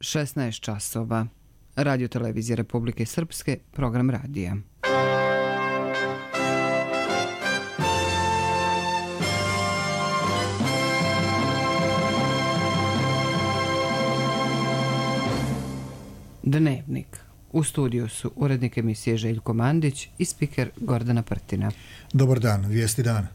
16 časova. Radio televizije Republike Srpske, program radija. Dnevnik. U studiju su urednik emisije Željko Mandić i spiker Gordana Prtina. Dobar dan, vijesti dana.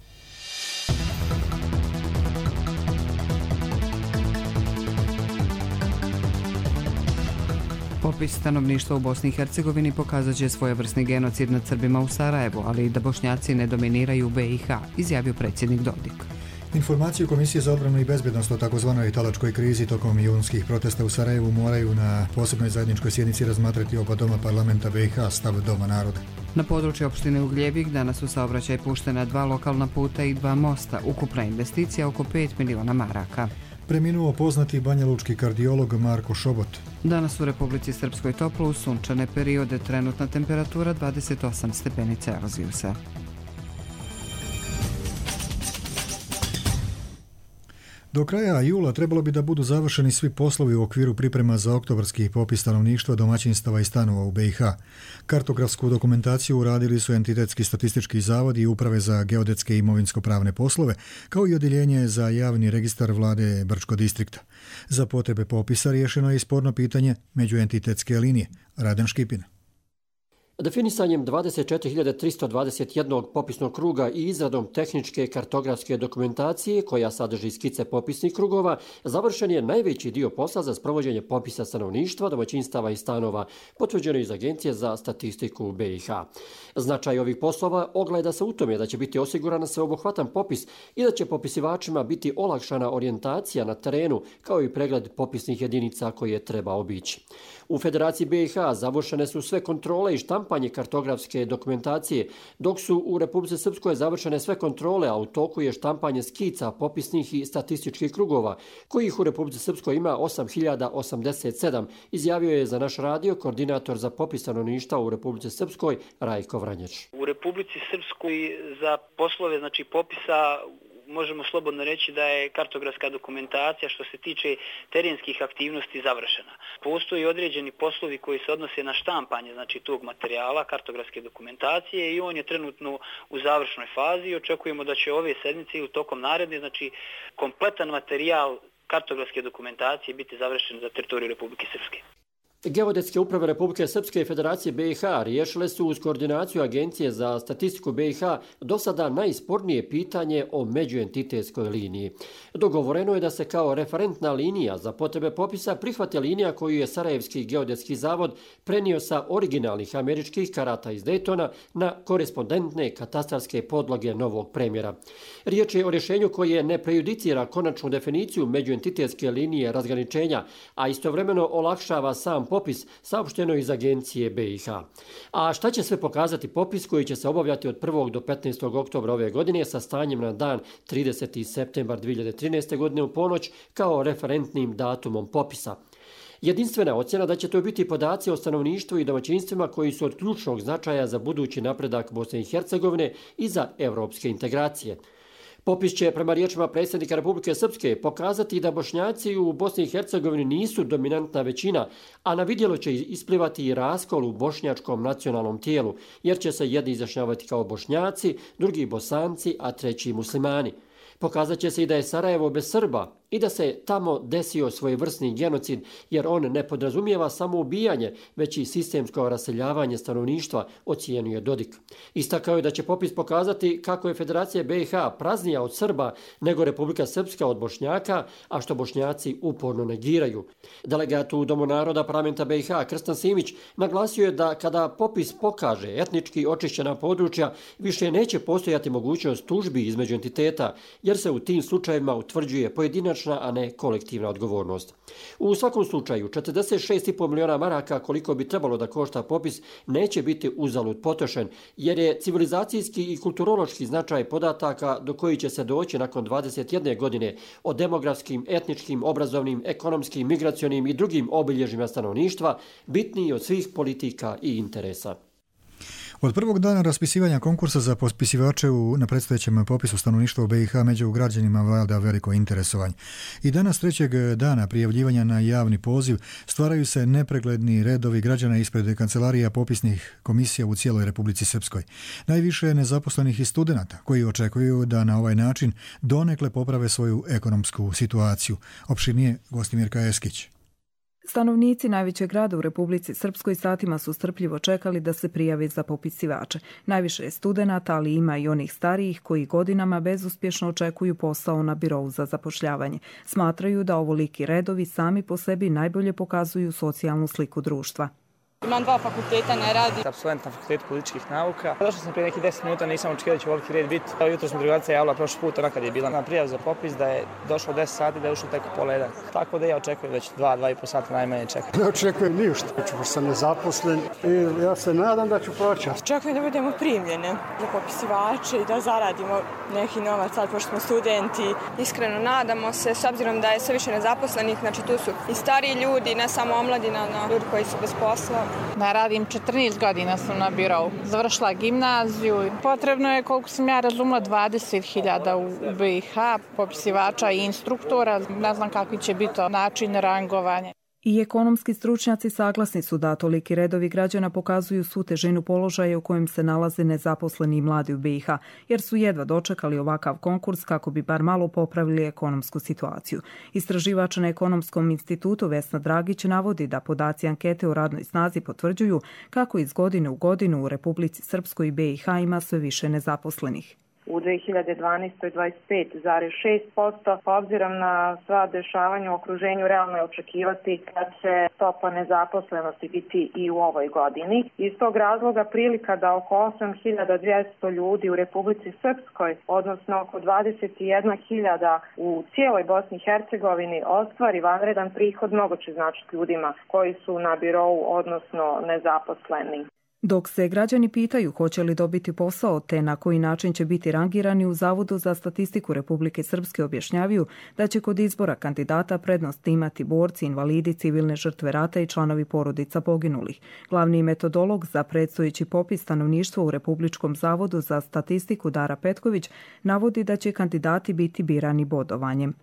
Popis stanovništva u Bosni i Hercegovini pokazat će svojevrsni genocid nad Srbima u Sarajevu, ali i da Bošnjaci ne dominiraju u BiH, izjavio predsjednik Dodik. Informacije Komisije za odbranu i bezbjednost o takozvanoj talačkoj krizi tokom junskih protesta u Sarajevu moraju na posebnoj zajedničkoj sjednici razmatrati oba doma parlamenta BiH, stav Doma naroda. Na području opštine Ugljevik danas u saobraćaj puštena 2 lokalna puta i 2 mosta, ukupna investicija oko 5 miliona maraka. Preminuo poznati banjalučki kardiolog Marko Šobot. Danas u Republici Srpskoj toplo uz sunčane periode, trenutna temperatura 28 stepeni Celzijusa. Do kraja jula trebalo bi da budu završeni svi poslovi u okviru priprema za oktobarski popis stanovništva, domaćinstava i stanova u BiH. Kartografsku dokumentaciju uradili su Entitetski statistički zavod i Uprave za geodetske i imovinsko-pravne poslove, kao i Odjeljenje za javni registar vlade Brčko distrikta. Za potrebe popisa riješeno je i sporno pitanje međuentitetske linije. Raden Škipin. Definisanjem 24.321 popisnog kruga i izradom tehničke kartografske dokumentacije koja sadrži skice popisnih krugova, završen je najveći dio posla za sprovođenje popisa stanovništva, domaćinstava i stanova, potvrđeno iz Agencije za statistiku BiH. Značaj ovih poslova ogleda se u tome da će biti osigurana sveobuhvatan popis i da će popisivačima biti olakšana orijentacija na terenu, kao i pregled popisnih jedinica koje treba obići. U Federaciji BiH završene su sve kontrole i štampanje kartografske dokumentacije, dok su u Republici Srpskoj završene sve kontrole, a u toku je štampanje skica popisnih i statističkih krugova, kojih u Republici Srpskoj ima 8087, izjavio je za naš radio koordinator za popis stanovništva u Republici Srpskoj Rajko Vranjeć. U Republici Srpskoj za poslove popisa možemo slobodno reći da je kartografska dokumentacija što se tiče terenskih aktivnosti završena. Postoji određeni poslovi koji se odnose na štampanje tog materijala, kartografske dokumentacije, i on je trenutno u završnoj fazi i očekujemo da će ove sedmice ili tokom naredne kompletan materijal kartografske dokumentacije biti završen za teritoriju Republike Srpske. Geodetske uprave Republike Srpske i Federacije BiH riješile su uz koordinaciju Agencije za statistiku BiH do sada najspornije pitanje o međuentitetskoj liniji. Dogovoreno je da se kao referentna linija za potrebe popisa prihvate linija koju je Sarajevski geodetski zavod prenio sa originalnih američkih karata iz Daytona na korespondentne katastarske podloge novog premjera. Riječ je o rješenju koje ne prejudicira konačnu definiciju međuentitetske linije razgraničenja, a istovremeno olakšava sam popis, saopšteno iz Agencije BiH. A šta će sve pokazati popis koji će se obavljati od 1. do 15. oktobra ove godine sa stanjem na dan 30. septembar 2013. godine u ponoć kao referentnim datumom popisa? Jedinstvena ocjena da će to biti podaci o stanovništvu i domaćinstvima koji su od ključnog značaja za budući napredak Bosne i Hercegovine i za evropske integracije. Popis će, prema riječima predsjednika Republike Srpske, pokazati da Bošnjaci u Bosni i Hercegovini nisu dominantna većina, a na vidjelo će isplivati i raskol u bošnjačkom nacionalnom tijelu, jer će se jedni izjašnjavati kao Bošnjaci, drugi Bosanci, a treći muslimani. Pokazat će se i da je Sarajevo bez Srba i da se tamo desio svojevrsni genocid, jer on ne podrazumijeva samo ubijanje, već i sistemsko raseljavanje stanovništva, ocijenio je Dodik. Istakao je da će popis pokazati kako je Federacija BiH praznija od Srba nego Republika Srpska od Bošnjaka, a što Bošnjaci uporno negiraju. Delegat u Domu naroda parlamenta BiH Krstan Simić naglasio je da kada popis pokaže etnički očišćena područja, više neće postojati mogućnost tužbi između entiteta, jer se u tim slučajevima utvrđuje pojedinačna, a ne kolektivna odgovornost. U svakom slučaju, 46,5 miliona maraka koliko bi trebalo da košta popis neće biti uzalud potrošen, jer je civilizacijski i kulturološki značaj podataka do koji će se doći nakon 21 godine o demografskim, etničkim, obrazovnim, ekonomskim, migracionim i drugim obilježjima stanovništva bitniji od svih politika i interesa. Od prvog dana raspisivanja konkursa za popisivače na predstojećem popisu stanovništva u BiH među građanima vlada veliko interesovanje. I danas trećeg dana prijavljivanja na javni poziv stvaraju se nepregledni redovi građana ispred kancelarija popisnih komisija u cijeloj Republici Srpskoj. Najviše je nezaposlenih i studenata koji očekuju da na ovaj način donekle poprave svoju ekonomsku situaciju. Opširnije Gostimirka Eskić. Stanovnici najvećeg grada u Republici Srpskoj satima su strpljivo čekali da se prijave za popisivače. Najviše je studenata, ali ima i onih starijih koji godinama bezuspješno očekuju posao na birou za zapošljavanje. Smatraju da ovoliki redovi sami po sebi najbolje pokazuju socijalnu sliku društva. Imam 2 fakulteta, ne radi. Apsolvent na fakultetu političkih nauka. Došao sam prije nekih 10 minuta, nisam očekivao da će ovoliki red biti. Jutro sam drugarica javila prošli put, ona kad je bila na prijavu za popis, da je došlo 10 sati, da je ušlo tek u pola 1. Tako da ja očekujem da će 2,5 sata najmanje čekati. Ne očekujem ništa, pošto sam nezaposlen i ja se nadam da ću proći. Očekujem da budemo primljene za popisivače i da zaradimo neki novac, sad pošto smo studenti. Iskreno nadamo se, s obzirom da je sve više nezaposlenih, znači tu su i stariji ljudi, ne samo omladina, ljudi koji su bez posla. Ne radim, 14 godina sam na birou. Završila gimnaziju. Potrebno je, koliko sam ja razumela, 20.000 u BiH, popisivača i instruktora. Ne znam kakvi će biti način rangovanja. I ekonomski stručnjaci saglasni su da toliki redovi građana pokazuju svu težinu položaja u kojem se nalaze nezaposleni i mladi u BiH, jer su jedva dočekali ovakav konkurs kako bi bar malo popravili ekonomsku situaciju. Istraživač na Ekonomskom institutu Vesna Dragić navodi da podaci ankete o radnoj snazi potvrđuju kako iz godine u godinu u Republici Srpskoj i BiH ima sve više nezaposlenih. U 2012. 25,6%, obzirom na sva dešavanja u okruženju, realno je očekivati da će stopa nezaposlenosti biti i u ovoj godini. Iz tog razloga prilika da oko 8.200 ljudi u Republici Srpskoj, odnosno oko 21.000 u cijeloj Bosni i Hercegovini, ostvari vanredan prihod, mnogo će značiti ljudima koji su na birou, odnosno nezaposleni. Dok se građani pitaju hoće li dobiti posao te na koji način će biti rangirani, u Zavodu za statistiku Republike Srpske objašnjavaju da će kod izbora kandidata prednost imati borci, invalidi, civilne žrtve rata i članovi porodica poginulih. Glavni metodolog za predstojeći popis stanovništva u Republičkom zavodu za statistiku Dara Petković navodi da će kandidati biti birani bodovanjem.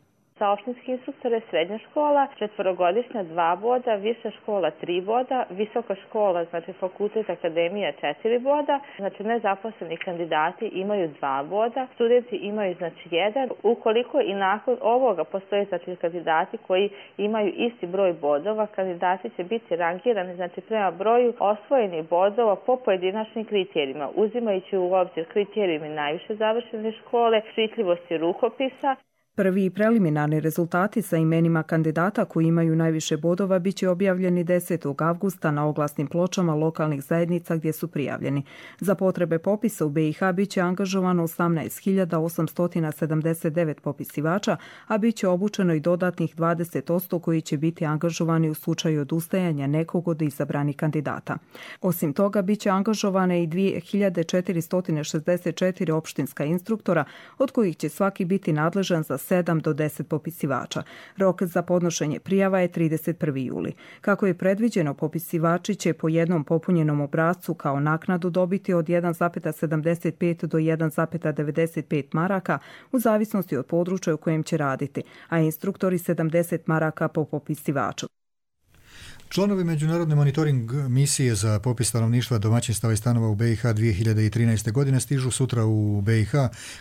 Opštinski instruktor je srednja škola, 4-godišnja 2 boda, viša škola 3 boda, visoka škola, znači fakultet akademija 4 boda, znači nezaposleni kandidati imaju 2 boda, studenti imaju znači 1. Ukoliko i nakon ovoga postoje znači kandidati koji imaju isti broj bodova, kandidati će biti rangirani znači prema broju osvojenih bodova po pojedinačnim kriterijima, uzimajući u obzir kriterijumi najviše završene škole, čitljivosti rukopisa. Prvi preliminarni rezultati sa imenima kandidata koji imaju najviše bodova biće objavljeni 10. avgusta na oglasnim pločama lokalnih zajednica gdje su prijavljeni. Za potrebe popisa u BiH biće angažovano 18.879 popisivača, a biće obučeno i dodatnih 20% koji će biti angažovani u slučaju odustajanja nekog od izabranih kandidata. Osim toga, biće angažovane i 2464 opštinska instruktora, od kojih će svaki biti nadležan za 7 do 10 popisivača. Rok za podnošenje prijava je 31. juli. Kako je predviđeno, popisivači će po jednom popunjenom obrascu kao naknadu dobiti od 1,75 do 1,95 maraka u zavisnosti od područja u kojem će raditi, a instruktori 70 maraka po popisivaču. Članovi Međunarodne monitoring misije za popis stanovništva, domaćinstava i stanova u BiH 2013. godine stižu sutra u BiH,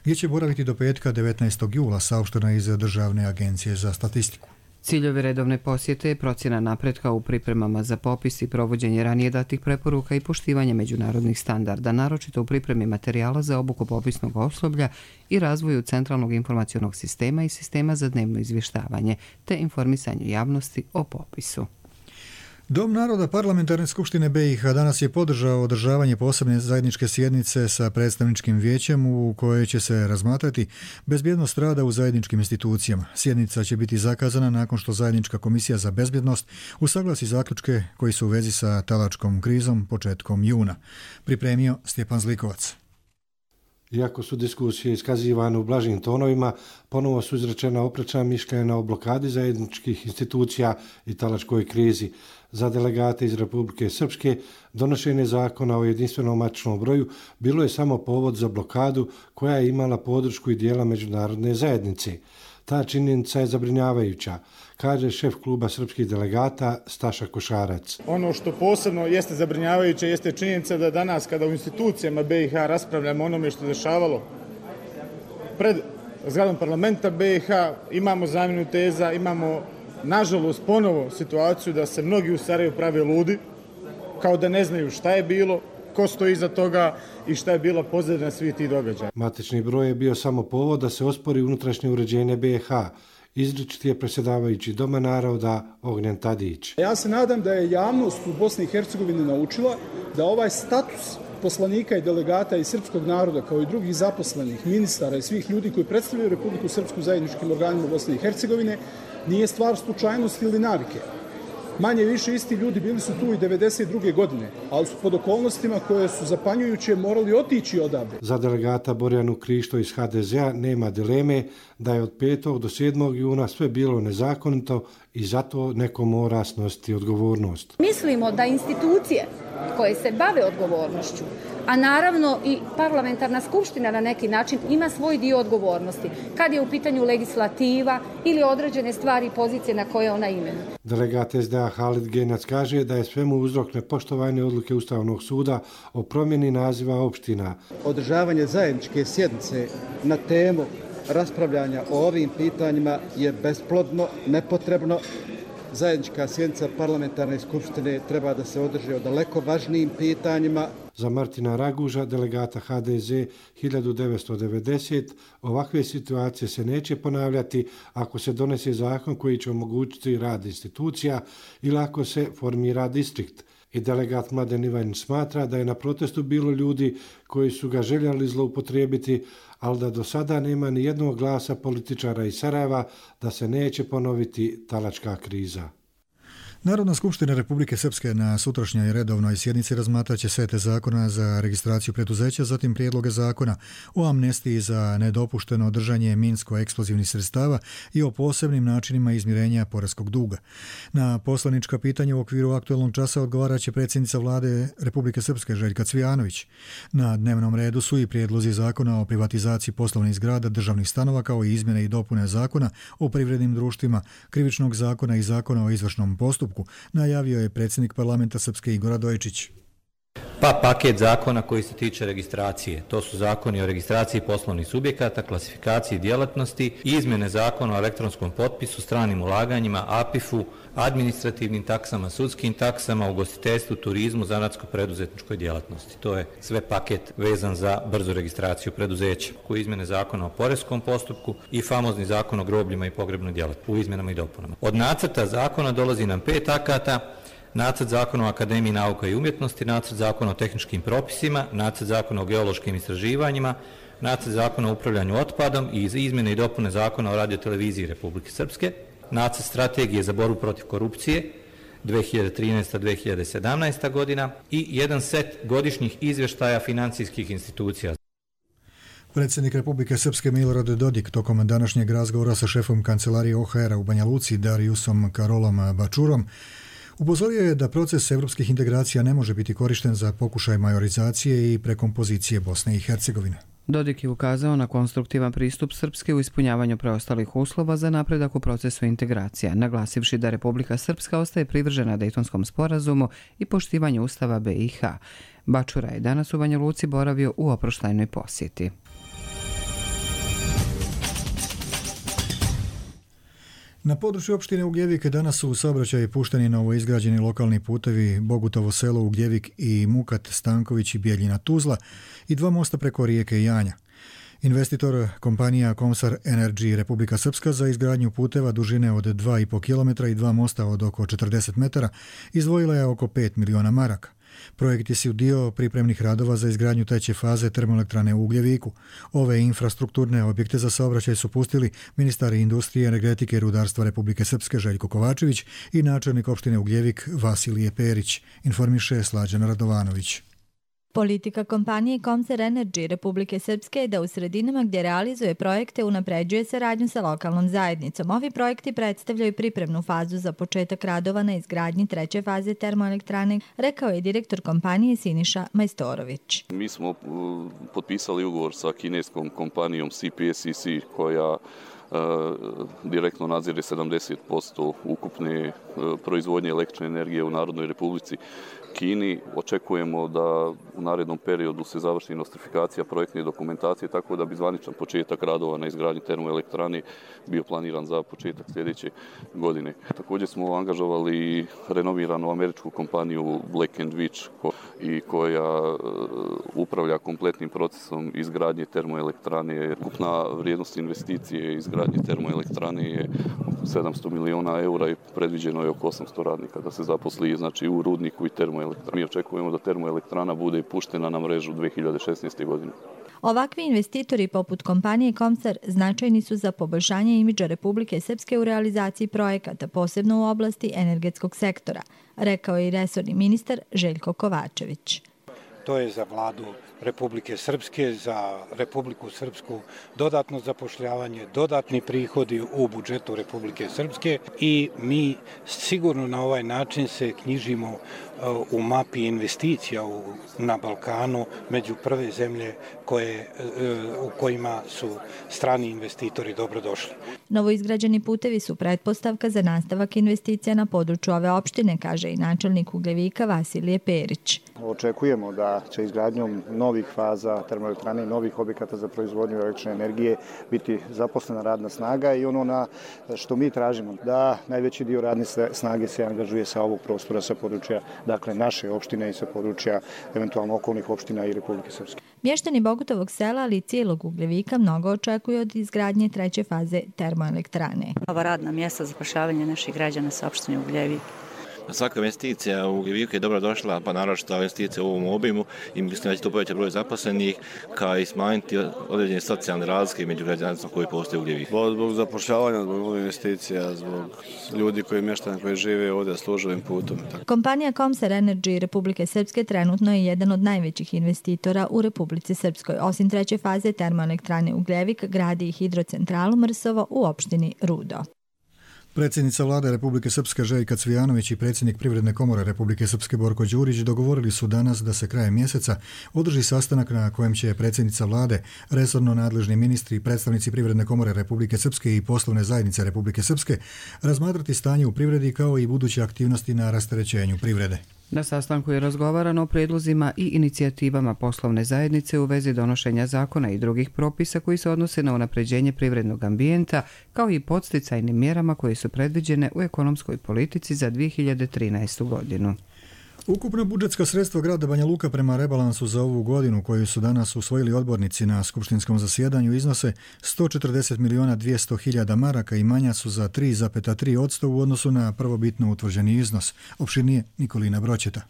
gdje će boraviti do petka 19. jula, saopšteno iz Državne agencije za statistiku. Ciljevi redovne posjete je procjena napretka u pripremama za popis i provođenje ranije datih preporuka i poštivanje međunarodnih standarda, naročito u pripremi materijala za obuku popisnog osoblja i razvoju centralnog informacionog sistema i sistema za dnevno izvještavanje, te informisanju javnosti o popisu. Dom naroda Parlamentarne skupštine BiH danas je podržao održavanje posebne zajedničke sjednice sa predstavničkim vijećem u kojoj će se razmatrati bezbjednost rada u zajedničkim institucijama. Sjednica će biti zakazana nakon što zajednička komisija za bezbjednost usaglasi zaključke koji su u vezi sa talačkom krizom početkom juna. Pripremio Stjepan Zlikovac. Iako su diskusije iskazivane u blažim tonovima, ponovo su izrečena oprečna mišljenja o blokadi zajedničkih institucija i talačkoj krizi. Za delegate iz Republike Srpske donošenje zakona o jedinstvenom matičnom broju bilo je samo povod za blokadu koja je imala podršku i dijela međunarodne zajednice. Ta činjenica je zabrinjavajuća, kaže šef kluba srpskih delegata Staša Košarac. Ono što posebno jeste zabrinjavajuće jeste činjenica da danas kada u institucijama BiH raspravljamo onome što se dešavalo pred zgradom parlamenta BiH, imamo zamjenu teza, imamo nažalost ponovo situaciju da se mnogi u Sarajevu prave ludi, kao da ne znaju šta je bilo, ko stoji iza toga i šta je bila pozadina svih tih događaja. Matični broj je bio samo povod da se ospori unutrašnje uređenje BiH. Izričiti je predsjedavajući Doma naroda Ognjen Tadić. Ja se nadam da je javnost u Bosni i Hercegovini naučila da ovaj status poslanika i delegata iz srpskog naroda, kao i drugih zaposlenih, ministara i svih ljudi koji predstavljaju Republiku Srpsku zajedničkim organima Bosne i Hercegovine, nije stvar slučajnosti ili navike. Manje više isti ljudi bili su tu i 92. godine, ali su pod okolnostima koje su zapanjujuće morali otići odavde. Za delegata Borjanu Krišto iz HDZ-a nema dileme da je od 5. do 7. juna sve bilo nezakonito i zato neko mora snositi odgovornost. Mislimo da institucije koje se bave odgovornošću, a naravno i parlamentarna skupština na neki način ima svoj dio odgovornosti, kad je u pitanju legislativa ili određene stvari i pozicije na koje ona imenuje. Delegat SDA Halid Genjac kaže da je svemu uzrok nepoštovanje odluke Ustavnog suda o promjeni naziva opština. Održavanje zajedničke sjednice na temu raspravljanja o ovim pitanjima je besplodno, nepotrebno. Zajednička sjednica parlamentarne skupštine treba da se održi o daleko važnijim pitanjima. Za Martina Raguža, delegata HDZ 1990, ovakve situacije se neće ponavljati ako se donese zakon koji će omogućiti rad institucija ili ako se formira distrikt. I delegat Mladen Ivanić smatra da je na protestu bilo ljudi koji su ga željeli zloupotrijebiti, ali da do sada nema ni jednog glasa političara iz Sarajeva da se neće ponoviti talačka kriza. Narodna skupština Republike Srpske na sutrašnjoj redovnoj sjednici razmatraće sete zakona za registraciju preduzeća, zatim prijedloge zakona o amnestiji za nedopušteno držanje minsko-eksplozivnih sredstava i o posebnim načinima izmirenja poreskog duga. Na poslanička pitanja u okviru aktuelnog časa odgovaraće predsjednica vlade Republike Srpske Željka Cvijanović. Na dnevnom redu su i prijedlozi zakona o privatizaciji poslovnih zgrada, državnih stanova, kao i izmjene i dopune zakona o privrednim društvima, krivičnog zakona i zakona o izvršnom postupku, najavio je predsjednik parlamenta Srpske Igor Radojičić. Pa paket zakona koji se tiče registracije. To su zakoni o registraciji poslovnih subjekata, klasifikaciji djelatnosti, izmjene zakona o elektronskom potpisu, stranim ulaganjima, APIF-u, administrativnim taksama, sudskim taksama, ugostiteljstvu, turizmu, zanatsko-preduzetničkoj djelatnosti. To je sve paket vezan za brzu registraciju preduzeća. Koji izmjene zakona o poreskom postupku i famozni zakon o grobljima i pogrebnoj djelatnosti u izmjenama i dopunama. Od nacrta zakona dolazi nam 5 akata. Nacrt zakona o Akademiji nauka i umjetnosti, nacrt zakona o tehničkim propisima, nacrt zakona o geološkim istraživanjima, nacrt zakona o upravljanju otpadom i izmjene i dopune zakona o radioteleviziji Republike Srpske, nacrt strategije za borbu protiv korupcije 2013-2017 godina i jedan set godišnjih izvještaja financijskih institucija. Predsjednik Republike Srpske Milorad Dodik tokom današnjeg razgovora sa šefom kancelarije OHR-a u Banja Luci Dariusom Karolom Bačurom upozorio je da proces evropskih integracija ne može biti korišten za pokušaj majorizacije i prekompozicije Bosne i Hercegovine. Dodik je ukazao na konstruktivan pristup Srpske u ispunjavanju preostalih uslova za napredak u procesu integracija, naglasivši da Republika Srpska ostaje privržena Dejtonskom sporazumu i poštivanju Ustava BiH. Bačura je danas u Banja Luci boravio u oproštajnoj posjeti. Na području opštine Ugljevik danas su u saobraćaj pušteni novoizgrađeni lokalni putevi Bogutovo selo Ugljevik i Mukat Stanković i Bijeljina Tuzla i 2 mosta preko rijeke Janja. Investitor kompanija Komsar Energy Republika Srpska za izgradnju puteva dužine od 2,5 km i 2 mosta od oko 40 metara izdvojila je oko 5 miliona maraka. Projekti su dio pripremnih radova za izgradnju treće faze termoelektrane u Ugljeviku. Ove infrastrukturne objekte za saobraćaj su pustili ministar industrije, energetike i rudarstva Republike Srpske Željko Kovačević i načelnik opštine Ugljevik Vasilije Perić, informiše Slađan Radovanović. Politika kompanije Komser Energy Republike Srpske je da u sredinama gdje realizuje projekte unapređuje saradnju sa lokalnom zajednicom. Ovi projekti predstavljaju pripremnu fazu za početak radova na izgradnji 3. faze termoelektrane, rekao je direktor kompanije Siniša Majstorović. Mi smo potpisali ugovor sa kineskom kompanijom CPSCC koja direktno nadzire 70% ukupne proizvodnje električne energije u Narodnoj Republici Kini. Očekujemo da u narednom periodu se završi nostrifikacija projektne dokumentacije, tako da bi zvaničan početak radova na izgradnji termoelektrane bio planiran za početak sljedeće godine. Također smo angažovali renoviranu američku kompaniju Black & Veatch i koja upravlja kompletnim procesom izgradnje termoelektrane. Ukupna vrijednost investicije izgradnje termoelektrane je 700 miliona eura i predviđeno je oko 800 radnika da se zaposli, znači u rudniku i termoelektrani. Mi očekujemo da termoelektrana bude puštena na mrežu 2016. godine. Ovakvi investitori poput kompanije Komser značajni su za poboljšanje imidža Republike Srpske u realizaciji projekata, posebno u oblasti energetskog sektora, rekao je i resorni ministar Željko Kovačević. To je za vladu Republike Srpske, za Republiku Srpsku dodatno zapošljavanje, dodatni prihodi u budžetu Republike Srpske i mi sigurno na ovaj način se knjižimo u mapi investicija na Balkanu među prve zemlje u kojima su strani investitori dobrodošli. Novoizgrađeni putevi su pretpostavka za nastavak investicija na području ove opštine, kaže i načelnik Ugljevika Vasilije Perić. Očekujemo da će izgradnjom novih faza termoelektrane i novih objekata za proizvodnju električne energije biti zaposlena radna snaga i ono na što mi tražimo da najveći dio radne snage se angažuje sa ovog prostora, sa područja dakle naše opštine i sa područja eventualno okolnih opština i Republike Srpske. Mještani Bogutovog sela, ali i cijelog Ugljevika mnogo očekuju od izgradnje 3. faze termoelektrane. Ova radna mjesta za zapošljavanje naših građana sa opštine Ugljevik. Svaka investicija u Ugljeviku je dobro došla, pa naročito investicija u ovom obimu i mislim da će to povećati broj zaposlenih, kao i smanjiti određene socijalne razlike među građanstvom koji postoje u Ugljeviku. Zbog zapošljavanja, zbog investicija, zbog ljudi mještana koji žive ovdje službenim putom. Kompanija Komser Energy Republike Srpske trenutno je jedan od najvećih investitora u Republici Srpskoj. Osim 3. faze termoelektrane Ugljevik gradi i hidrocentralu Mrsovo u opštini Rudo. Predsjednica vlade Republike Srpske Željka Cvijanović i predsjednik Privredne komore Republike Srpske Borko Đurić dogovorili su danas da se krajem mjeseca održi sastanak na kojem će predsjednica vlade, resorno nadležni ministri i predstavnici Privredne komore Republike Srpske i poslovne zajednice Republike Srpske razmatrati stanje u privredi kao i buduće aktivnosti na rasterećenju privrede. Na sastanku je razgovarano o prijedlozima i inicijativama poslovne zajednice u vezi donošenja zakona i drugih propisa koji se odnose na unapređenje privrednog ambijenta, kao i podsticajnim mjerama koje su predviđene u ekonomskoj politici za 2013. godinu. Ukupna budžetska sredstva grada Banja Luka prema rebalansu za ovu godinu koju su danas usvojili odbornici na skupštinskom zasjedanju iznose 140.200.000 maraka i manja su za 3,3% u odnosu na prvobitno utvrđeni iznos. Opširnije Nikolina Bročeta.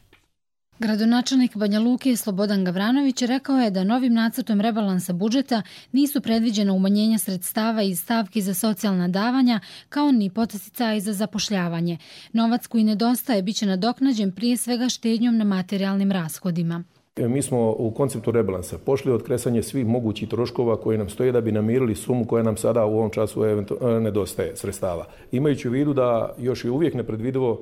Gradonačelnik Banja Luke Slobodan Gavranović rekao je da novim nacrtom rebalansa budžeta nisu predviđena umanjenja sredstava iz stavki za socijalna davanja kao ni podsticaji za zapošljavanje. Novac koji nedostaje biće nadoknađen prije svega štednjom na materijalnim rashodima. Mi smo u konceptu rebalansa pošli od kresanja svih mogućih troškova koji nam stoje da bi namirili sumu koja nam sada u ovom času nedostaje sredstava. Imajući u vidu da još je uvijek nepredvidivo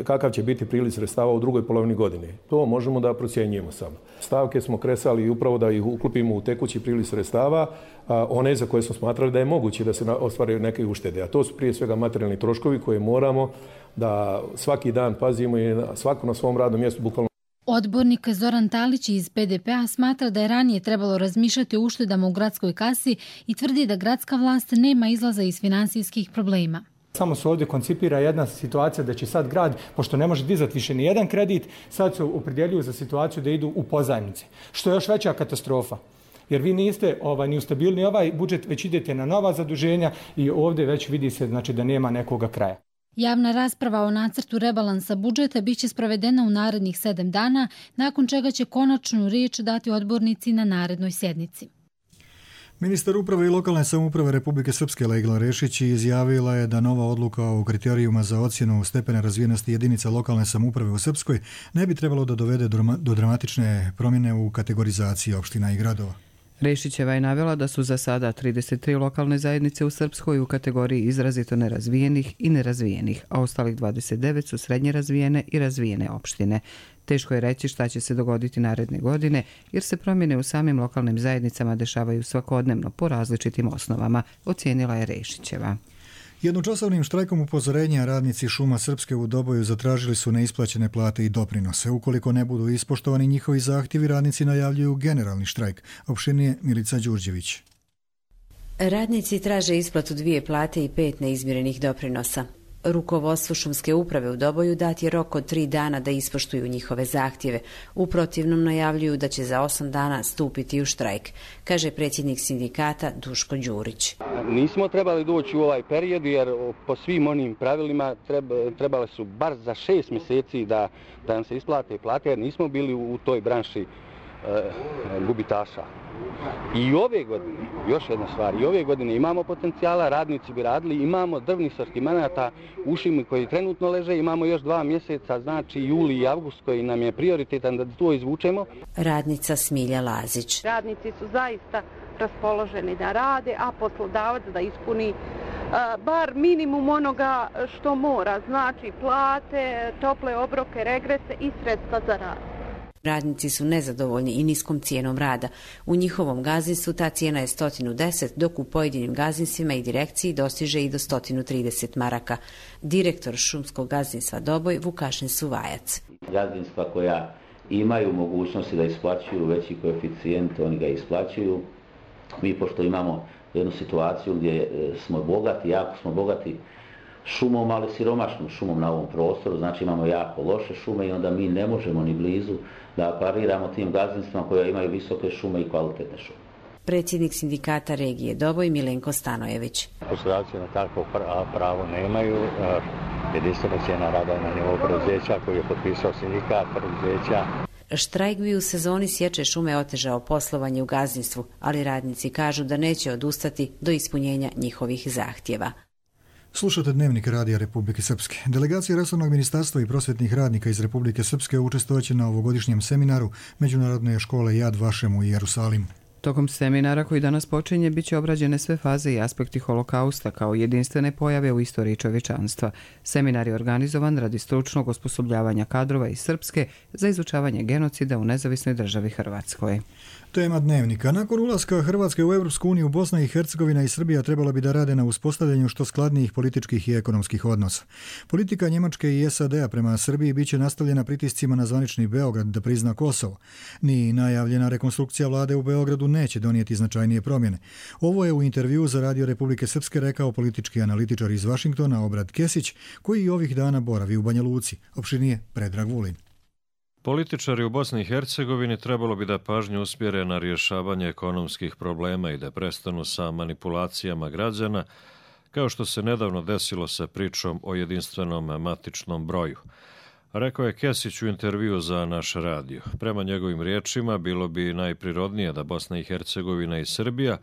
kakav će biti priliv sredstava u drugoj polovini godine. To možemo da procjenjujemo samo. Stavke smo kresali upravo da ih uklopimo u tekući priliv sredstava, one za koje smo smatrali da je moguće da se ostvaraju neke uštede. A to su prije svega materijalni troškovi koje moramo da svaki dan pazimo i svako na svom radnom mjestu bukvalno. Odbornik Zoran Talić iz PDP-a smatra da je ranije trebalo razmišljati o uštedama u gradskoj kasi i tvrdi da gradska vlast nema izlaza iz finansijskih problema. Samo se ovdje koncipira jedna situacija da će sad grad, pošto ne može dizati više ni jedan kredit, sad se opredjeljuju za situaciju da idu u pozajmice, što je još veća katastrofa. Jer vi niste ni ustabilni ovaj budžet, već idete na nova zaduženja i ovdje već vidi se znači, da nema nekoga kraja. Javna rasprava o nacrtu rebalansa budžeta biće sprovedena u narednih 7 dana, nakon čega će konačnu riječ dati odbornici na narednoj sjednici. Ministar uprave i lokalne samouprave Republike Srpske Legla Rešić izjavila je da nova odluka o kriterijuma za ocjenu stepena razvijenosti jedinica lokalne samouprave u Srpskoj ne bi trebalo da dovede do dramatične promjene u kategorizaciji opština i gradova. Rešićeva je navela da su za sada 33 lokalne zajednice u Srpskoj u kategoriji izrazito nerazvijenih i nerazvijenih, a ostalih 29 su srednje razvijene i razvijene opštine. Teško je reći šta će se dogoditi naredne godine, jer se promjene u samim lokalnim zajednicama dešavaju svakodnevno po različitim osnovama, ocijenila je Rešićeva. Jednočasovnim štrajkom upozorenja radnici Šuma Srpske u Doboju zatražili su neisplaćene plate i doprinose. Ukoliko ne budu ispoštovani njihovi zahtjevi, radnici najavljuju generalni štrajk. Opširnije Milica Đurđević. Radnici traže isplatu 2 plate i 5 neizmirenih doprinosa. Rukovodstvu Šumske uprave u Doboju dat je rok od 3 dana da ispoštuju njihove zahtjeve. U protivnom najavljuju da će za 8 dana stupiti u štrajk, kaže predsjednik sindikata Duško Đurić. Nismo trebali doći u ovaj period jer po svim onim pravilima trebale su bar za 6 mjeseci da nam se isplate plate jer nismo bili u toj branši gubitaša. I ove godine, još jedna stvar, i ove godine imamo potencijala, radnici bi radili, imamo drvnih sortimenata u šumi koji trenutno leže, imamo još 2 mjeseca, znači juli i avgust koji nam je prioritetan da to izvučemo. Radnica Smilja Lazić. Radnici su zaista raspoloženi da rade, a poslodavac da ispuni bar minimum onoga što mora, znači plate, tople obroke, regrese i sredstva za rad. Radnici su nezadovoljni i niskom cijenom rada. U njihovom gazdinstvu ta cijena je 110, dok u pojedinim gazdinstvima i direkciji dostiže i do 130 maraka. Direktor šumskog gazdinstva Doboj Vukašin Suvajac. Gazdinstva koja imaju mogućnosti da isplaćuju veći koeficijent, oni ga isplaćuju. Mi pošto imamo jednu situaciju gdje smo bogati, jako smo bogati šumom, ali siromašnom šumom na ovom prostoru, znači imamo jako loše šume i onda mi ne možemo ni blizu da pariramo tim gazdinstvima koja imaju visoke šume i kvalitetne šume. Predsjednik sindikata regije Doboj Milenko Stanojević. Poslodavci na takvo pravo nemaju. Jedinstvena cijena rada na nivou preduzeća koji je potpisao sindikat preduzeća. Štrajk bi u sezoni sječe šume otežao poslovanje u gazdinstvu, ali radnici kažu da neće odustati do ispunjenja njihovih zahtjeva. Slušate Dnevnik Radija Republike Srpske. Delegacija resornog ministarstva i prosvjetnih radnika iz Republike Srpske učestvovaće na ovogodišnjem seminaru Međunarodne škole Jad Vašem u Jerusalimu. Tokom seminara koji danas počinje biće obrađene sve faze i aspekti holokausta kao jedinstvene pojave u istoriji čovječanstva. Seminar je organizovan radi stručnog osposobljavanja kadrova iz Srpske za izučavanje genocida u nezavisnoj državi Hrvatskoj. Tema Dnevnika. Nakon ulaska Hrvatske u Europsku uniju, Bosna i Hercegovina i Srbija trebala bi da rade na uspostavljanju što skladnijih političkih i ekonomskih odnosa. Politika Njemačke i SAD-a prema Srbiji biće nastavljena pritiscima na zvanični Beograd da prizna Kosovo. Ni najavljena rekonstrukcija vlade u Beogradu neće donijeti značajnije promjene. Ovo je u intervjuu za Radio Republike Srpske rekao politički analitičar iz Vašingtona Obrad Kesić, koji ovih dana boravi u Banja Luci. Opširnije Predrag Vulin. Političari u Bosni i Hercegovini trebalo bi da pažnju usmjere na rješavanje ekonomskih problema i da prestanu sa manipulacijama građana, kao što se nedavno desilo sa pričom o jedinstvenom matičnom broju. Rekao je Kesić u intervju za naš radio. Prema njegovim riječima, bilo bi najprirodnije da Bosna i Hercegovina i Srbija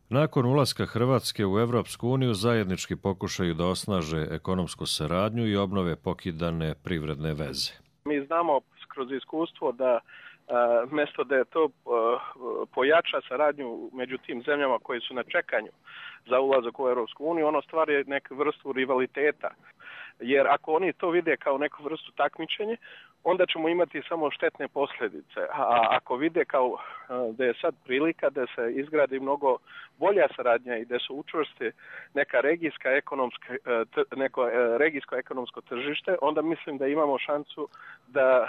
nakon ulaska Hrvatske u Evropsku uniju zajednički pokušaju da osnaže ekonomsku saradnju i obnove pokidane privredne veze. Mi znamo kroz iskustvo da mjesto da je to pojača saradnju među tim zemljama koji su na čekanju za ulazak u Europsku uniju, ono stvari neku vrstu rivaliteta. Jer ako oni to vide kao neku vrstu takmičenja, onda ćemo imati samo štetne posljedice. A ako vide kao da je sad prilika da se izgradi mnogo bolja saradnja i da se učvrsti neko regijsko ekonomsko tržište, onda mislim da imamo šansu da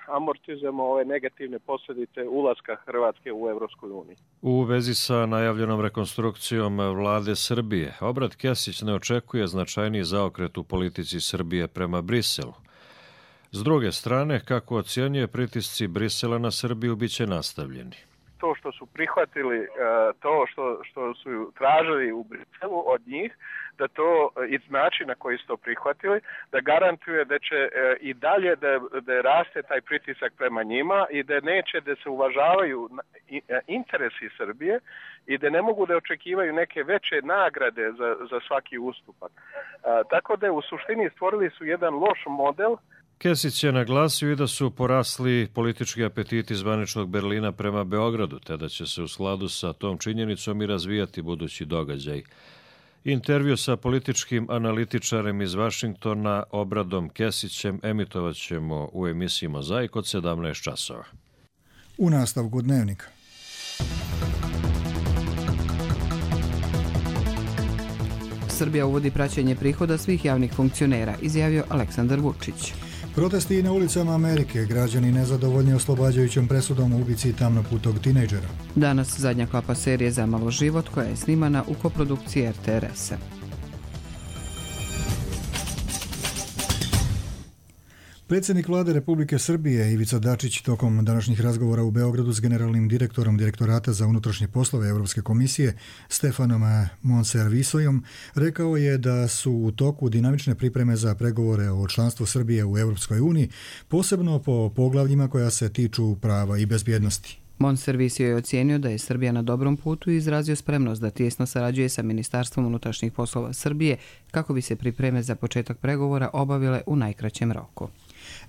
amortizujemo ove negativne posljedice ulaska Hrvatske u Europsku uniju. U vezi sa najavljenom rekonstrukcijom vlade Srbije, Obrad Kesić ne očekuje značajniji zaokret u politici Srbije prema Briselu. S druge strane, kako ocjenjuje, pritisci Brisela na Srbiju biće nastavljeni. To što su prihvatili, to što su tražili u Briselu od njih, da to i način na koji su to prihvatili, da garantuje da će i dalje da raste taj pritisak prema njima i da neće da se uvažavaju interesi Srbije i da ne mogu da očekivaju neke veće nagrade za svaki ustupak. Tako da u suštini stvorili su jedan loš model. Kesić je naglasio i da su porasli politički apetiti zvaničnog Berlina prema Beogradu, te da će se u skladu sa tom činjenicom i razvijati budući događaj. Intervju sa političkim analitičarem iz Vašingtona Obradom Kesićem emitovat ćemo u emisiji Mozaik od 17 časova. U nastavku Dnevnika. Srbija uvodi praćenje prihoda svih javnih funkcionera, izjavio Aleksandar Vučić. Protesti i na ulicama Amerike, građani nezadovoljni oslobađajućom presudom u ubici tamnoputog tinejdžera. Danas zadnja klapa serije Zamalo život koja je snimana u koprodukciji RTRS-a. Predsjednik vlade Republike Srbije Ivica Dačić tokom današnjih razgovora u Beogradu s generalnim direktorom Direktorata za unutrašnje poslove Europske komisije Stefanom Monservisojom rekao je da su u toku dinamične pripreme za pregovore o članstvu Srbije u Europskoj uniji, posebno po poglavljima koja se tiču prava i bezbjednosti. Monservisio je ocijenio da je Srbija na dobrom putu i izrazio spremnost da tijesno sarađuje sa Ministarstvom unutrašnjih poslova Srbije kako bi se pripreme za početak pregovora obavile u najkraćem roku.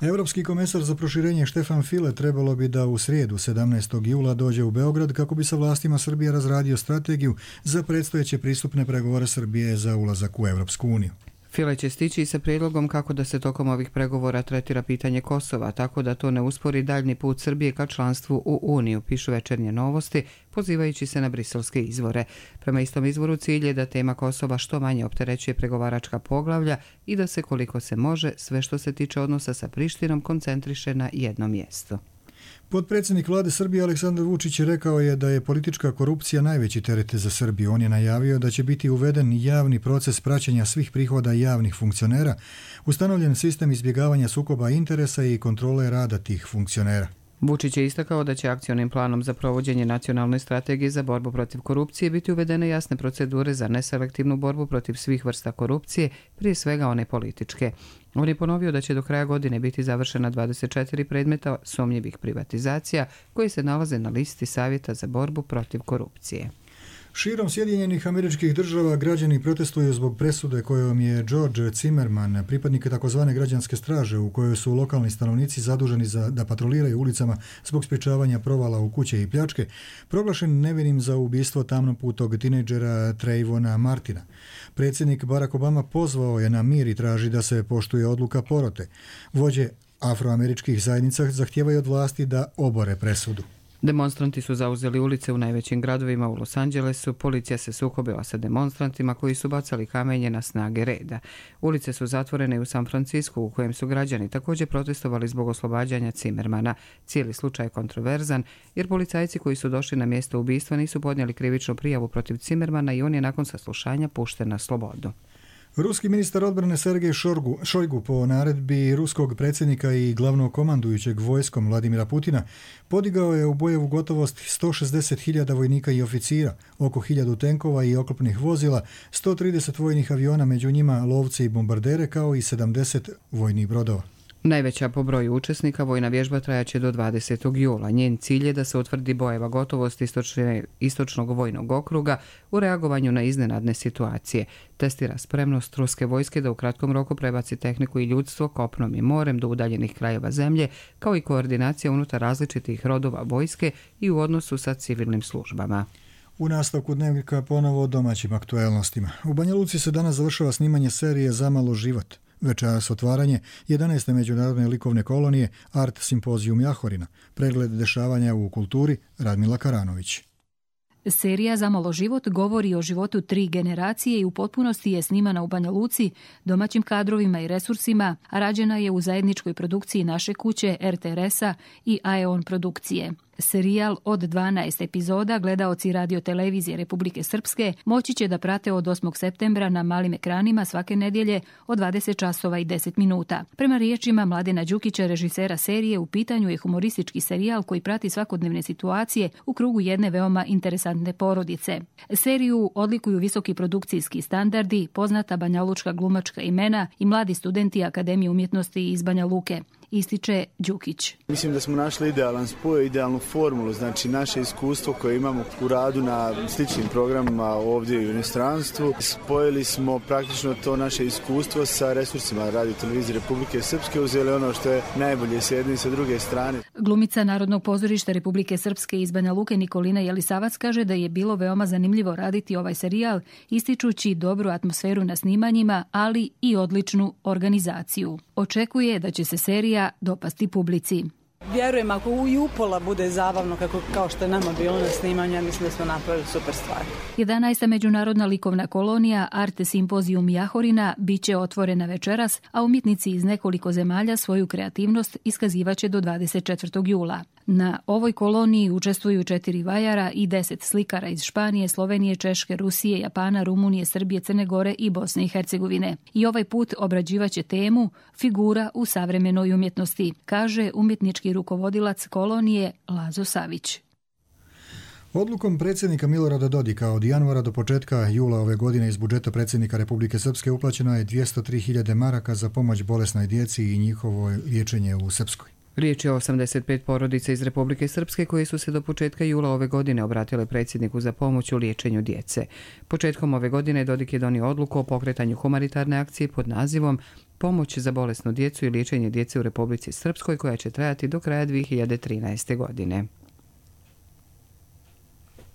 Europski komesar za proširenje Štefan File trebalo bi da u srijedu 17. jula dođe u Beograd kako bi sa vlastima Srbije razradio strategiju za predstojeće pristupne pregovore Srbije za ulazak u Europsku uniju. File će stići sa prijedlogom kako da se tokom ovih pregovora tretira pitanje Kosova, tako da to ne uspori daljni put Srbije ka članstvu u Uniju, pišu Večernje novosti, pozivajući se na briselske izvore. Prema istom izvoru cilj je da tema Kosova što manje opterećuje pregovaračka poglavlja i da se koliko se može sve što se tiče odnosa sa Prištinom koncentriše na jedno mjesto. Potpredsjednik vlade Srbije Aleksandar Vučić rekao je da je politička korupcija najveći teret za Srbiju. On je najavio da će biti uveden javni proces praćenja svih prihoda javnih funkcionera, ustanovljen sistem izbjegavanja sukoba interesa i kontrole rada tih funkcionera. Vučić je istakao da će akcionim planom za provođenje nacionalne strategije za borbu protiv korupcije biti uvedene jasne procedure za neselektivnu borbu protiv svih vrsta korupcije, prije svega one političke. On je ponovio da će do kraja godine biti završena 24 predmeta sumnjivih privatizacija koji se nalaze na listi Savjeta za borbu protiv korupcije. Širom Sjedinjenih Američkih Država građani protestuju zbog presude kojom je George Zimmerman, pripadnik takozvane građanske straže u kojoj su lokalni stanovnici zaduženi da patroliraju ulicama zbog sprječavanja provala u kuće i pljačke, proglašen nevinim za ubistvo tamnoputog tinejdžera Trayvona Martina. Predsjednik Barack Obama pozvao je na mir i traži da se poštuje odluka porote. Vođe afroameričkih zajednica zahtijevaju od vlasti da obore presudu. Demonstranti su zauzeli ulice u najvećim gradovima u Los Angelesu, policija se sukobila sa demonstrantima koji su bacali kamenje na snage reda. Ulice su zatvorene u San Francisku u kojem su građani također protestovali zbog oslobađanja Zimmermana. Cijeli slučaj je kontroverzan jer policajci koji su došli na mjesto ubistva nisu podnijeli krivičnu prijavu protiv Zimmermana i on je nakon saslušanja pušten na slobodu. Ruski ministar odbrane Sergej Šojgu po naredbi ruskog predsjednika i glavnog komandujućeg vojskom Vladimira Putina podigao je u bojevu gotovost 160.000 vojnika i oficira, oko 1000 tenkova i oklopnih vozila, 130 vojnih aviona, među njima lovce i bombardere, kao i 70 vojnih brodova. Najveća po broju učesnika vojna vježba trajaće do 20. jula. Njen cilj je da se utvrdi bojeva gotovost istočnog vojnog okruga u reagovanju na iznenadne situacije. Testira spremnost ruske vojske da u kratkom roku prebaci tehniku i ljudstvo kopnom i morem do udaljenih krajeva zemlje, kao i koordinacija unutar različitih rodova vojske i u odnosu sa civilnim službama. U nastavku Dnevnika ponovo o domaćim aktuelnostima. U Banja Luci se danas završava snimanje serije Zamalo život. Večeras otvaranje 11. međunarodne likovne kolonije Art Simpozijum Jahorina. Pregled dešavanja u kulturi Radmila Karanović. Serija Zamalo život govori o životu 3 generacije i u potpunosti je snimana u Banja Luci, domaćim kadrovima i resursima, a rađena je u zajedničkoj produkciji Naše kuće, RTRS-a i AEON produkcije. Serijal od 12 epizoda gledaoci radiotelevizije Republike Srpske moći će da prate od 8. septembra na malim ekranima svake nedjelje od 20 časova i 10 minuta. Prema riječima Mladena Đukića, režisera serije, u pitanju je humoristički serijal koji prati svakodnevne situacije u krugu jedne veoma interesantne porodice. Seriju odlikuju visoki produkcijski standardi, poznata banjalučka glumačka imena i mladi studenti Akademije umjetnosti iz Banja Luke. ističe Đukić. Mislim da smo našli idealan spoj, idealnu formulu, znači naše iskustvo koje imamo u radu na sličnim programima ovdje u inostranstvu. Spojili smo praktično to naše iskustvo sa resursima Radio televizije Republike Srpske, uzeli ono što je najbolje s jedne i sa druge strane. Glumica Narodnog pozorišta Republike Srpske iz Banja Luke Nikolina Jelisavac kaže da je bilo veoma zanimljivo raditi ovaj serijal, ističući dobru atmosferu na snimanjima, ali i odličnu organizaciju. Očekuje da će se serija dopasti publici. Vjerujem, ako i upola bude zabavno kao što je nama bilo na snimanju, ja mislim da smo napravili super stvar. 11. međunarodna likovna kolonija Arte Simpozijum Jahorina biće otvorena večeras, a umjetnici iz nekoliko zemalja svoju kreativnost iskazivaće do 24. jula. Na ovoj koloniji učestvuju 4 vajara i 10 slikara iz Španije, Slovenije, Češke, Rusije, Japana, Rumunije, Srbije, Crne Gore i Bosne i Hercegovine. I ovaj put obrađivaće temu Figura u savremenoj umjetnosti, kaže umjetnički rukovodilac kolonije Lazo Savić. Odlukom predsjednika Milorada Dodika od januara do početka jula ove godine iz budžeta predsjednika Republike Srpske uplaćeno je 203.000 maraka za pomoć bolesnoj djeci i njihovo liječenje u Srpskoj. Riječ je o 85 porodica iz Republike Srpske koje su se do početka jula ove godine obratile predsjedniku za pomoć u liječenju djece. Početkom ove godine Dodik je donio odluku o pokretanju humanitarne akcije pod nazivom Pomoć za bolesnu djecu i liječenje djece u Republici Srpskoj, koja će trajati do kraja 2013. godine.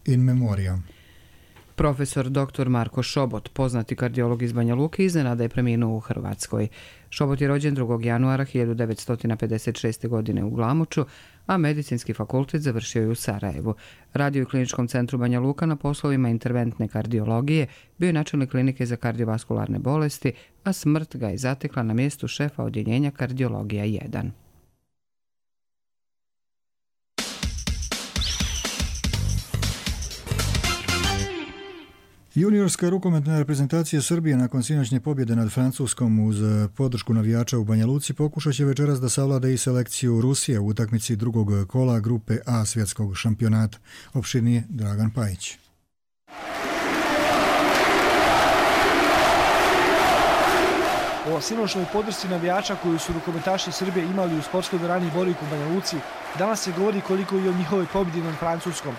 In memoriam. Profesor dr. Marko Šobot, poznati kardiolog iz Banja Luke, iznenada je preminuo u Hrvatskoj. Šobot je rođen 2. januara 1956. godine u Glamuču, a medicinski fakultet završio je u Sarajevu. Radio u Kliničkom centru Banja Luka na poslovima interventne kardiologije, bio je načelnik klinike za kardiovaskularne bolesti, a smrt ga je zatekla na mjestu šefa odjeljenja kardiologija 1. Juniorska rukometna reprezentacija Srbije nakon sinoćnje pobjede nad Francuskom uz podršku navijača u Banja Luci pokušat će večeras da savlada i selekciju Rusije u utakmici drugog kola grupe A svjetskog šampionata. Opširnije Dragan Pajić. O sinoćnoj podršci navijača koju su rukometaši Srbije imali u sportskoj dvorani Borik u Banja Luci danas se govori koliko i o njihovoj pobjedi nad Francuskom.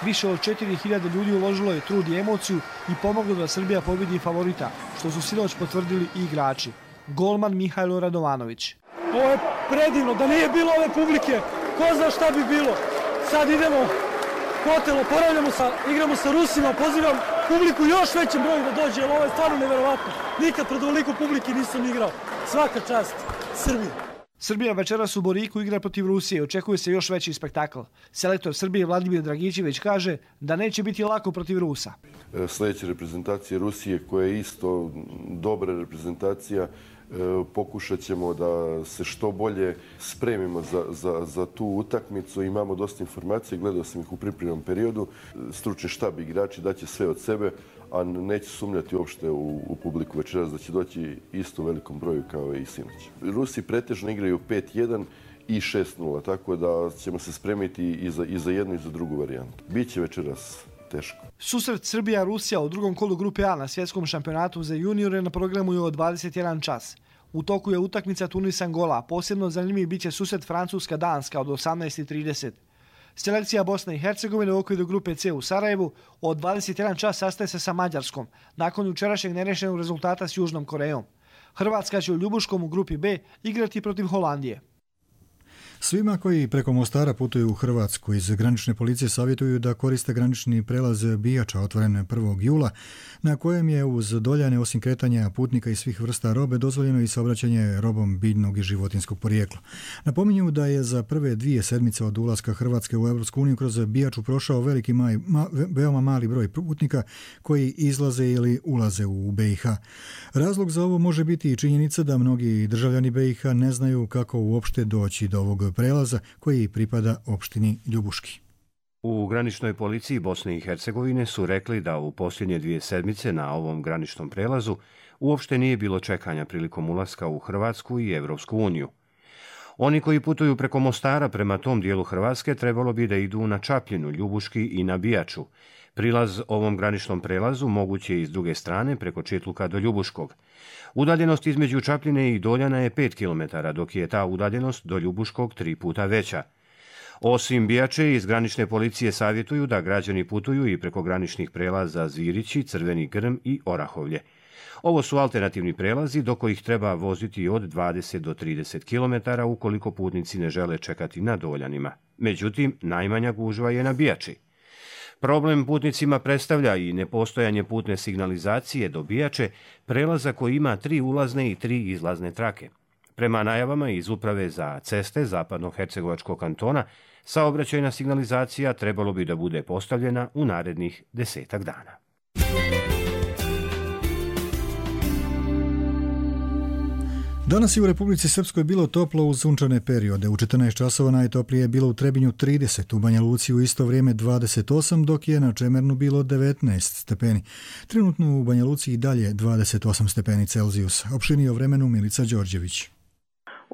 Više od 4000 ljudi uložilo je trud i emociju i pomoglo da Srbija pobjedi favorita, što su sinoć potvrdili i igrači. Golman Mihajlo Radovanović. Ovo je predivno, da nije bilo ove publike, ko zna šta bi bilo. Sad idemo hotel, igramo sa Rusima, pozivam publiku još većem broju da dođe, jer ovo je stvarno neverovatno. Nikad pred ovoliko publike nisam igrao. Svaka čast Srbiji. Srbija večeras u Boriku igra protiv Rusije, očekuje se još veći spektakl. Selektor Srbije Vladimir Dragićević kaže da neće biti lako protiv Rusa. Sljedeća reprezentacija Rusije, koja je isto dobra reprezentacija, pokušat ćemo da se što bolje spremimo za tu utakmicu. Imamo dosta informacije, gledao sam ih u pripremnom periodu. Stručni štab igrači daće sve od sebe, a neće sumnjati uopšte u publiku večeras da će doći isto u velikom broju kao i sinoć. Rusi pretežno igraju 5-1 i 6-0, tako da ćemo se spremiti i za jednu i za drugu varijantu. Biće večeras teško. Susret Srbija-Rusija u drugom kolu grupe A na svjetskom šampionatu za juniore na programu je od 21 čas. U toku je utakmica Tunis-Angola, posebno zanimljiv biće susret Francuska-Danska od 18:30. Selekcija Bosne i Hercegovine u okviru grupe C u Sarajevu od 21 čas sastaje se sa Mađarskom, nakon jučerašnjeg nerešenog rezultata s Južnom Korejom. Hrvatska će u Ljubuškom u grupi B igrati protiv Holandije. Svima koji preko Mostara putuju u Hrvatsku iz granične policije savjetuju da koriste granični prelaz Bijača otvoren 1. jula, na kojem je uz doljane osim kretanja putnika i svih vrsta robe dozvoljeno i saobraćanje robom biljnog i životinskog porijekla. Napominju da je za prve 2 sedmice od ulaska Hrvatske u Europsku uniju kroz Bijaču prošao veoma mali broj putnika koji izlaze ili ulaze u BiH. Razlog za ovo može biti i činjenica da mnogi državljani BiH ne znaju kako uopšte doći do ovog prelaza koji pripada opštini Ljubuški. U graničnoj policiji Bosne i Hercegovine su rekli da u posljednje 2 sedmice na ovom graničnom prelazu uopšte nije bilo čekanja prilikom ulaska u Hrvatsku i Evropsku uniju. Oni koji putuju preko Mostara prema tom dijelu Hrvatske trebalo bi da idu na Čapljinu, Ljubuški i na Bijaču, Prilaz ovom graničnom prelazu moguće je i s druge strane preko Čitluka do Ljubuškog. Udaljenost između Čapljine i Doljana je 5 km, dok je ta udaljenost do Ljubuškog 3 puta veća. Osim Bijače, iz granične policije savjetuju da građani putuju i preko graničnih prelaza Zvirići, Crveni Grm i Orahovlje. Ovo su alternativni prelazi do kojih treba voziti od 20 do 30 km ukoliko putnici ne žele čekati na Doljanima. Međutim, najmanja gužva je na Bijači. Problem putnicima predstavlja i nepostojanje putne signalizacije do Bijače, prelaza koji ima 3 ulazne i 3 izlazne trake. Prema najavama iz Uprave za ceste Zapadno-Hercegovačkog kantona, saobraćajna signalizacija trebalo bi da bude postavljena u narednih 10 dana. Danas je u Republici Srpskoj bilo toplo uz sunčane periode. U 14 časova najtoplije je bilo u Trebinju 30, u Banja Luci u isto vrijeme 28, dok je na Čemernu bilo 19 stepeni. Trenutno u Banja Luci i dalje 28 stepeni Celzijusa. Opširnije o vremenu Milica Đorđević.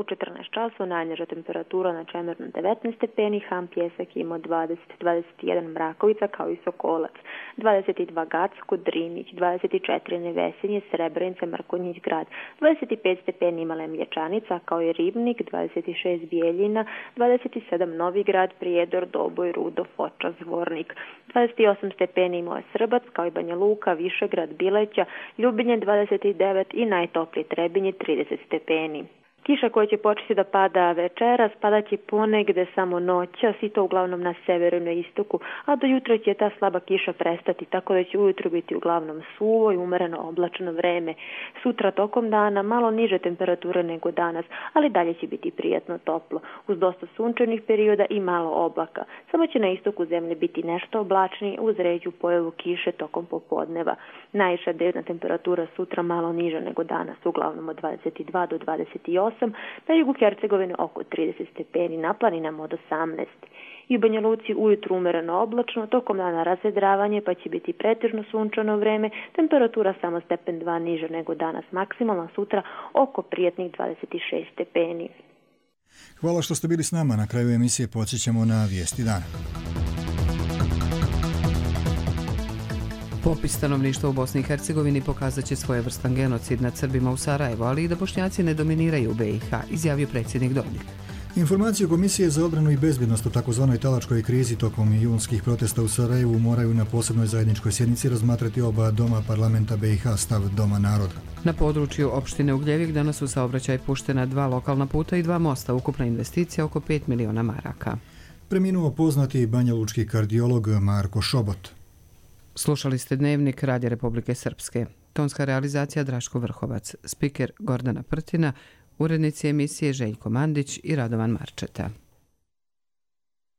U 14 časova najniža temperatura na Čemernu 19 stepeni, Ham Pjesak imao 20-21 Mrakovica kao i Sokolac, 22 Gacko, Drinić, 24 Nevesinje, Srebrenica, Markonjić grad, 25 stepeni imala Mlječanica kao i Ribnik, 26 Bijeljina, 27 Novi grad, Prijedor, Doboj, Rudo, Foča, Zvornik, 28 stepeni imao je Srbac kao i Banja Luka, Višegrad, Bileća, Ljubinje 29 i najtoplije Trebinje 30 stepeni. Kiša koja će početi da pada večeras, padaće ponegde samo noćas i to uglavnom na severu i na istoku, a do jutra će ta slaba kiša prestati, tako da će ujutro biti uglavnom suvo i umereno oblačno vreme. Sutra tokom dana malo niže temperature nego danas, ali dalje će biti prijatno toplo, uz dosta sunčanih perioda i malo oblaka. Samo će na istoku zemlje biti nešto oblačniji uz ređu pojavu kiše tokom popodneva. Najviša dnevna temperatura sutra malo niža nego danas, uglavnom od 22 do 28, na jugu Hercegovine oko 30 stepeni, na planinama od 18. I u Banja Luci ujutru umereno oblačno, tokom dana razvedravanje pa će biti pretežno sunčano vreme, temperatura samo stepen 2 niže nego danas, maksimalna sutra oko prijatnih 26 stepeni. Hvala što ste bili s nama. Na kraju emisije podsjećamo na vijesti dana. Popis stanovništva u Bosni i Hercegovini pokazat će svojevrstan genocid nad Srbima u Sarajevu, ali i da Bošnjaci ne dominiraju u BiH, izjavio predsjednik Dodik. Informacije Komisije za obranu i bezbjednost o takozvanoj talačkoj krizi tokom junskih protesta u Sarajevu moraju na posebnoj zajedničkoj sjednici razmatrati oba doma parlamenta BiH, stav Doma naroda. Na području opštine Ugljevik danas u saobraćaj puštena 2 lokalna puta i 2 mosta, ukupna investicija oko 5 miliona maraka. Preminuo poznati banjalučki kardiolog Marko Šobot. Slušali ste Dnevnik Radija Republike Srpske. Tonska realizacija Draško Vrhovac, spiker Gordana Prtina, urednici emisije Željko Mandić i Radovan Marčeta.